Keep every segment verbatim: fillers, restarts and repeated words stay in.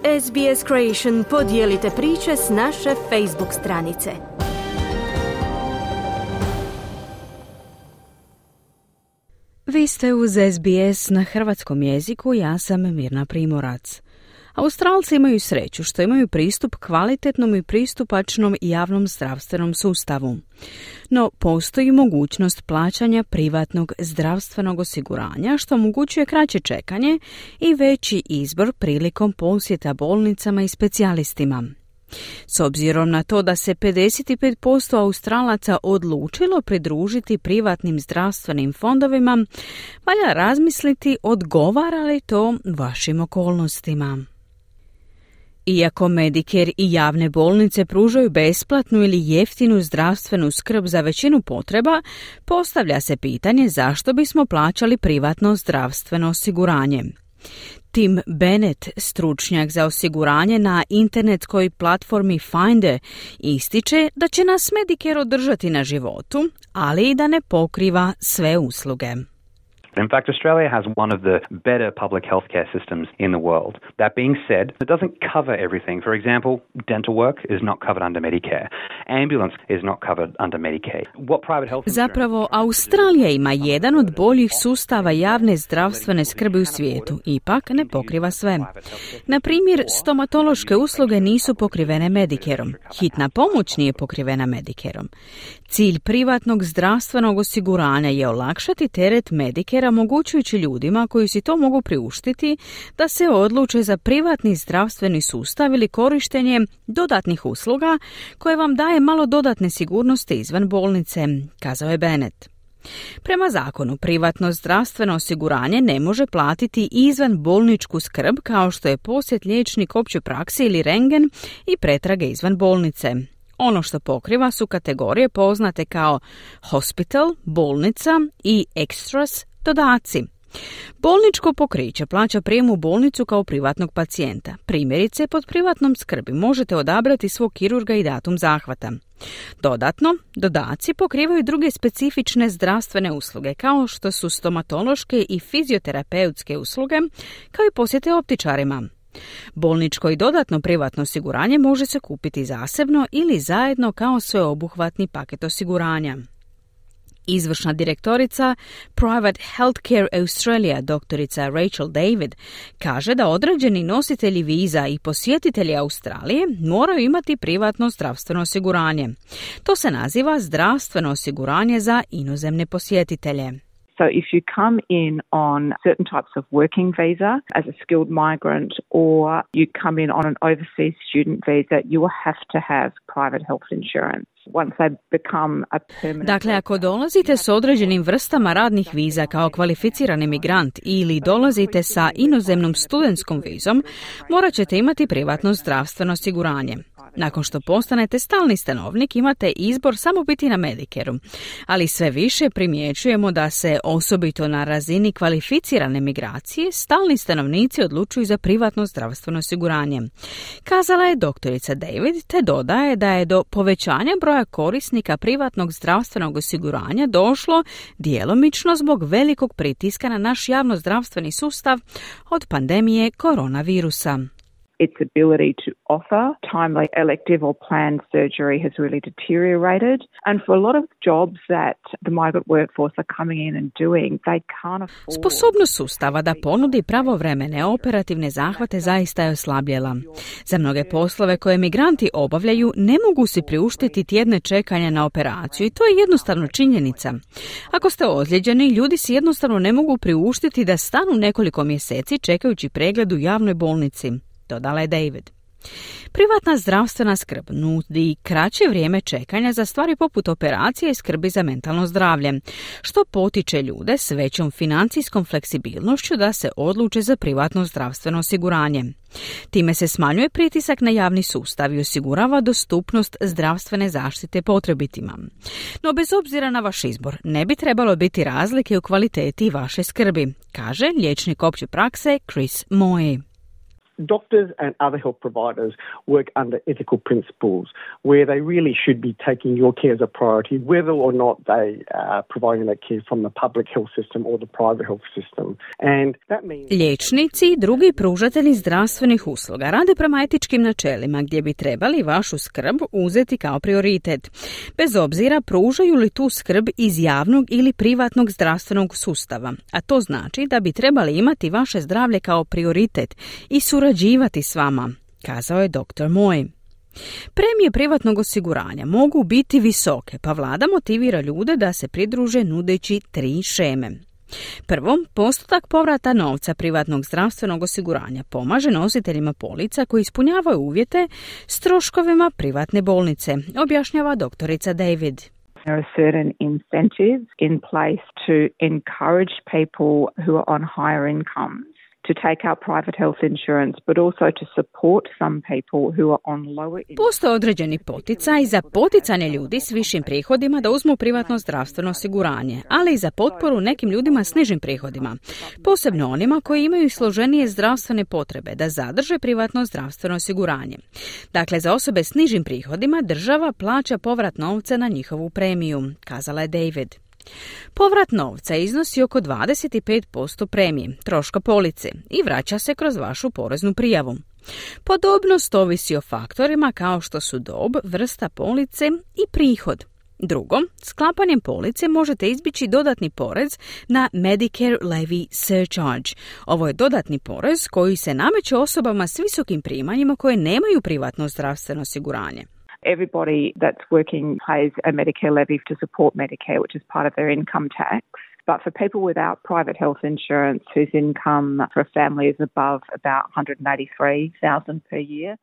S B S Creation podijelite priče s naše Facebook stranice. Vi ste uz S B S na hrvatskom jeziku, ja sam Mirna Primorac. Australci imaju sreću što imaju pristup kvalitetnom i pristupačnom javnom zdravstvenom sustavu. No, postoji mogućnost plaćanja privatnog zdravstvenog osiguranja, što omogućuje kraće čekanje i veći izbor prilikom posjeta bolnicama i specijalistima. S obzirom na to da se pedeset pet posto Australaca odlučilo pridružiti privatnim zdravstvenim fondovima, valja razmisliti odgovara li to vašim okolnostima. Iako Medicare i javne bolnice pružaju besplatnu ili jeftinu zdravstvenu skrb za većinu potreba, postavlja se pitanje zašto bismo plaćali privatno zdravstveno osiguranje. Tim Bennett, stručnjak za osiguranje na internetskoj platformi Finder, ističe da će nas Medicare održati na životu, ali i da ne pokriva sve usluge. In fact, Australia has one of the better public healthcare systems in the world. That being said, it doesn't cover everything. For example, dental work is not covered under Medicare. Ambulance is not covered under Medicaid. What private health Zapravo, Australija ima jedan od boljih sustava javne zdravstvene skrbi u svijetu. Ipak ne pokriva sve. Na primjer, stomatološke usluge nisu pokrivene Medicareom. Hitna pomoć nije pokrivena Medicareom. Cilj privatnog zdravstvenog osiguranja je olakšati teret Medicarea, omogućujući ljudima koji si to mogu priuštiti da se odluče za privatni zdravstveni sustav ili korištenje dodatnih usluga koje vam daje malo dodatne sigurnosti izvan bolnice, kazao je Bennett. Prema zakonu, privatno zdravstveno osiguranje ne može platiti izvan bolničku skrb kao što je posjet liječnik opće prakse ili rentgen i pretrage izvan bolnice. Ono što pokriva su kategorije poznate kao hospital, bolnica i extras, dodaci. Bolničko pokriće plaća prijem u bolnicu kao privatnog pacijenta. Primjerice, pod privatnom skrbi možete odabrati svog kirurga i datum zahvata. Dodatno, dodaci pokrivaju druge specifične zdravstvene usluge, kao što su stomatološke i fizioterapeutske usluge, kao i posjete optičarima. Bolničko i dodatno privatno osiguranje može se kupiti zasebno ili zajedno kao sveobuhvatni paket osiguranja. Izvršna direktorica Private Healthcare Australia, doktorica Rachel David, kaže da određeni nositelji viza i posjetitelji Australije moraju imati privatno zdravstveno osiguranje. To se naziva zdravstveno osiguranje za inozemne posjetitelje. So if you come in on certain types of working visa as a skilled migrant, or you come in on an overseas student visa, you will have to have private health insurance. Once they become a permanent... Dakle, ako dolazite s određenim vrstama radnih viza kao kvalificirani migrant ili dolazite sa inozemnom studentskom vizom, morat ćete imati privatno zdravstveno osiguranje. Nakon što postanete stalni stanovnik, imate izbor samo biti na Medicareu, ali sve više primjećujemo da se osobito na razini kvalificirane migracije stalni stanovnici odlučuju za privatno zdravstveno osiguranje. Kazala je doktorica David, te dodaje da je do povećanja broja korisnika privatnog zdravstvenog osiguranja došlo djelomično zbog velikog pritiska na naš javnozdravstveni sustav od pandemije koronavirusa. Its ability to offer timely elective or planned surgery has really deteriorated. And for a lot of jobs that the migrant workforce are coming in and doing, they can't afford... Sposobnost sustava da ponudi pravovremene operativne zahvate zaista je oslabljela. Za mnoge poslove koje migranti obavljaju ne mogu si priuštiti tjedne čekanja na operaciju i to je jednostavno činjenica. Ako ste ozlijeđeni, ljudi si jednostavno ne mogu priuštiti da stanu nekoliko mjeseci čekajući pregled u javnoj bolnici, dodala je David. Privatna zdravstvena skrb nudi kraće vrijeme čekanja za stvari poput operacije i skrbi za mentalno zdravlje, što potiče ljude s većom financijskom fleksibilnošću da se odluče za privatno zdravstveno osiguranje. Time se smanjuje pritisak na javni sustav i osigurava dostupnost zdravstvene zaštite potrebitima. No bez obzira na vaš izbor, ne bi trebalo biti razlike u kvaliteti vaše skrbi, kaže liječnik opće prakse Chris Moy. doctors and other health providers work under ethical principles where they really should be taking your care as a priority, whether or not they are providing that care from the public health system or the private health system. And that means... Liječnici i drugi pružatelji zdravstvenih usluga rade prema etičkim načelima gdje bi trebali vašu skrb uzeti kao prioritet, bez obzira pružaju li tu skrb iz javnog ili privatnog zdravstvenog sustava, a to znači da bi trebali imati vaše zdravlje kao prioritet i surađivati s vama, kazao je doktor Moy. Premije privatnog osiguranja mogu biti visoke, pa vlada motivira ljude da se pridruže nudeći tri šeme. Prvo, postotak povrata novca privatnog zdravstvenog osiguranja pomaže nositeljima polica koji ispunjavaju uvjete s troškovima privatne bolnice, objašnjava doktorica David. There are certain incentives in place to encourage people who are on higher incomes to take out private health insurance, but also to support some people who are on lower incomes. Postoje određeni poticaj za poticanje ljudi s višim prihodima da uzmu privatno zdravstveno osiguranje, ali i za potporu nekim ljudima s nižim prihodima, posebno onima koji imaju složenije zdravstvene potrebe da zadrže privatno zdravstveno osiguranje. Dakle, za osobe s nižim prihodima država plaća povrat novca na njihovu premiju, kazala je David. Povrat novca iznosi oko dvadeset pet posto premije, troška police i vraća se kroz vašu poreznu prijavu. Podobnost ovisi o faktorima kao što su dob, vrsta police i prihod. Drugo, sklapanjem police možete izbjeći dodatni porez na Medicare Levy Surcharge. Ovo je dodatni porez koji se nameće osobama s visokim primanjima koje nemaju privatno zdravstveno osiguranje. Everybody that's working pays a Medicare levy to support Medicare, which is part of their income tax. But for people without private health insurance whose income for a family is above about one hundred eighty-three thousand dollars per year,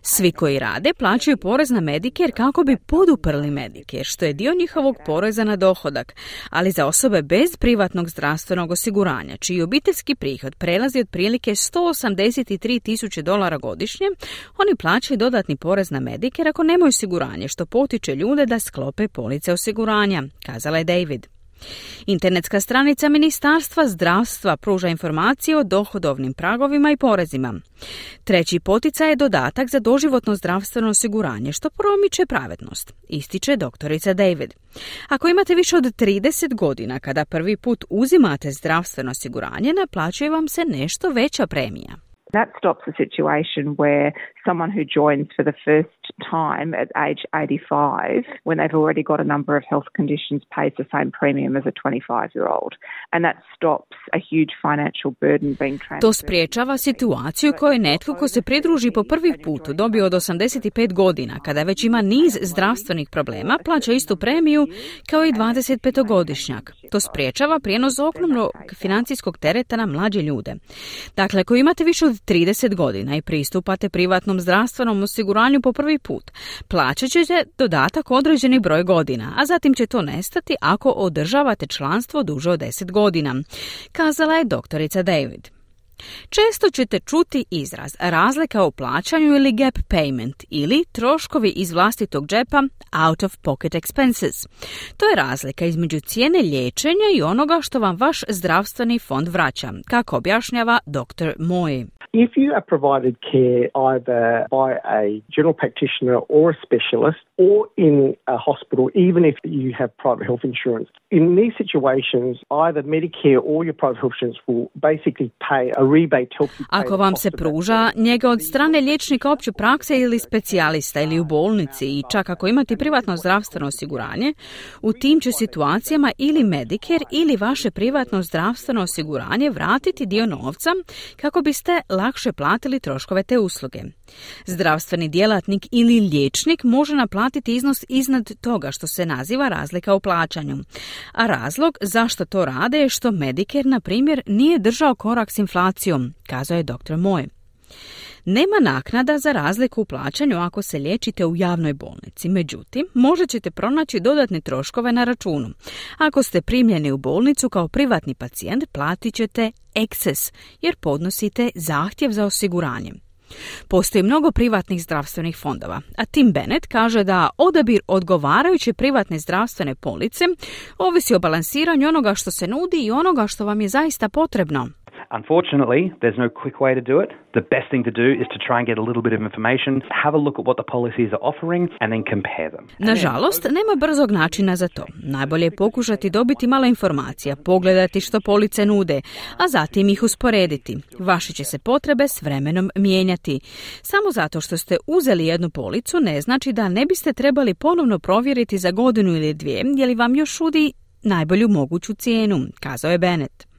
svi koji rade plaćaju porez na Medicare kako bi poduprli Medicare, što je dio njihovog poreza na dohodak, ali za osobe bez privatnog zdravstvenog osiguranja, čiji obiteljski prihod prelazi otprilike sto osamdeset tri tisuće dolara godišnje, oni plaćaju dodatni porez na Medicare ako nemaju osiguranje, što potiče ljude da sklope police osiguranja, kazala je David. Internetska stranica Ministarstva zdravstva pruža informacije o dohodovnim pragovima i porezima. Treći poticaj je dodatak za doživotno zdravstveno osiguranje, što promiče pravednost, ističe doktorica David. Ako imate više od trideset godina kada prvi put uzimate zdravstveno osiguranje, naplaćuje vam se nešto veća premija. That stops a situation where someone who joins for the first time at age eighty-five, when they've already got a number of health conditions, pays the same premium as a twenty-five-year-old. And that stops a huge financial burden being transferred. To spriječava situaciju koju netko ko se pridruži po prvi put dobio od osamdeset pet godina, kada već ima niz zdravstvenih problema, plaća istu premiju kao i dvadesetpetogodišnjak. To spriječava prijenos ogromnog financijskog tereta na mlađe ljude. Dakle, ako imate više od trideset godina i pristupate privatnom zdravstvenom osiguranju po prvi put, plaćat ćete dodatak određeni broj godina, a zatim će to nestati ako održavate članstvo duže od deset godina, kazala je doktorica David. Često ćete čuti izraz razlika u plaćanju ili gap payment ili troškovi iz vlastitog džepa out of pocket expenses. To je razlika između cijene liječenja i onoga što vam vaš zdravstveni fond vraća, kako objašnjava doktor Moy. If you are provided care either by a general practitioner or a specialist or in a hospital, even if you have private health insurance, in these situations, either Medicare or your private health insurance will basically pay a rebate to help you pay. Ako vam se pruža njega od strane liječnika opće prakse ili specijalista ili u bolnici i čak ako imate privatno zdravstveno osiguranje, u tim će situacijama ili Medicare ili vaše privatno zdravstveno osiguranje vratiti dio novca kako biste lakše platili troškove te usluge. Zdravstveni djelatnik ili liječnik može naplatiti iznos iznad toga što se naziva razlika u plaćanju. A razlog zašto to rade je što Medicare, na primjer, nije držao korak s inflacijom, kazao je doktor Moy. Nema naknada za razliku u plaćanju ako se liječite u javnoj bolnici, međutim, možda ćete pronaći dodatne troškove na računu. Ako ste primljeni u bolnicu kao privatni pacijent, platit ćete excess jer podnosite zahtjev za osiguranje. Postoji mnogo privatnih zdravstvenih fondova, a Tim Bennett kaže da odabir odgovarajuće privatne zdravstvene police ovisi o balansiranju onoga što se nudi i onoga što vam je zaista potrebno. Unfortunately, there's no quick way to do it. The best thing to do is to try and get a little bit of information, have a look at what the policies are offering, and then compare them. Nažalost, nema brzog načina za to. Najbolje je pokušati dobiti malo informacija, pogledati što police nude, a zatim ih usporediti. Vaše će se potrebe s vremenom mijenjati. Samo zato što ste uzeli jednu policu ne znači da ne biste trebali ponovno provjeriti za godinu ili dvije, je li vam još nudi najbolju moguću cijenu, kazao je Bennett.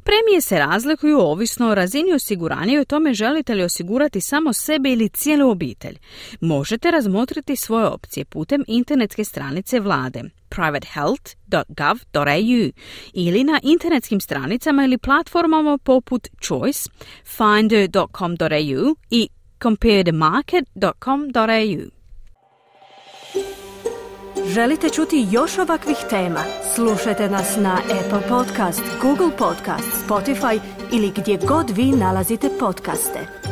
Premije se razlikuju ovisno o razini osiguranja i o tome želite li osigurati samo sebe ili cijelu obitelj. Možete razmotriti svoje opcije putem internetske stranice vlade private health dot gov dot a u ili na internetskim stranicama ili platformama poput Choice, finder dot com dot a u i compare the market dot com dot a u. Želite čuti još ovakvih tema? Slušajte nas na Apple Podcast, Google Podcast, Spotify ili gdje god vi nalazite podcaste.